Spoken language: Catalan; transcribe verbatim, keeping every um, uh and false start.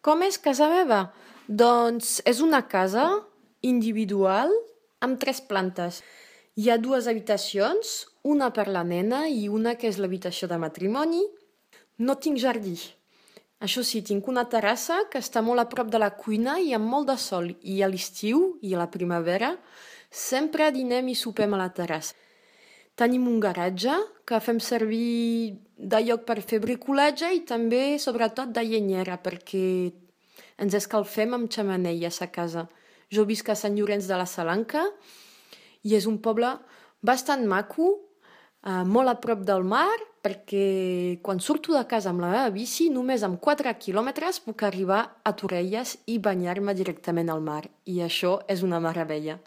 Com és casa meva? Doncs és una casa individual amb tres plantes. Hi ha dues habitacions, una per la nena i una que és l'habitació de matrimoni. No tinc jardí. Això sí, tinc una terrassa que està molt a prop de la cuina i amb molt de sol. I a l'estiu i a la primavera sempre dinem i sopem a la terrassa. Tenim un garatge que fem servir de lloc per fer bricolatge i també, sobretot, de llenyera, perquè ens escalfem amb xemeneies a casa. Jo visc a Sant Llorenç de la Salanca i és un poble bastant maco, eh, molt a prop del mar, perquè quan surto de casa amb la meva bici, només amb quatre quilòmetres puc arribar a Torrelles i banyar-me directament al mar. I això és una meravella.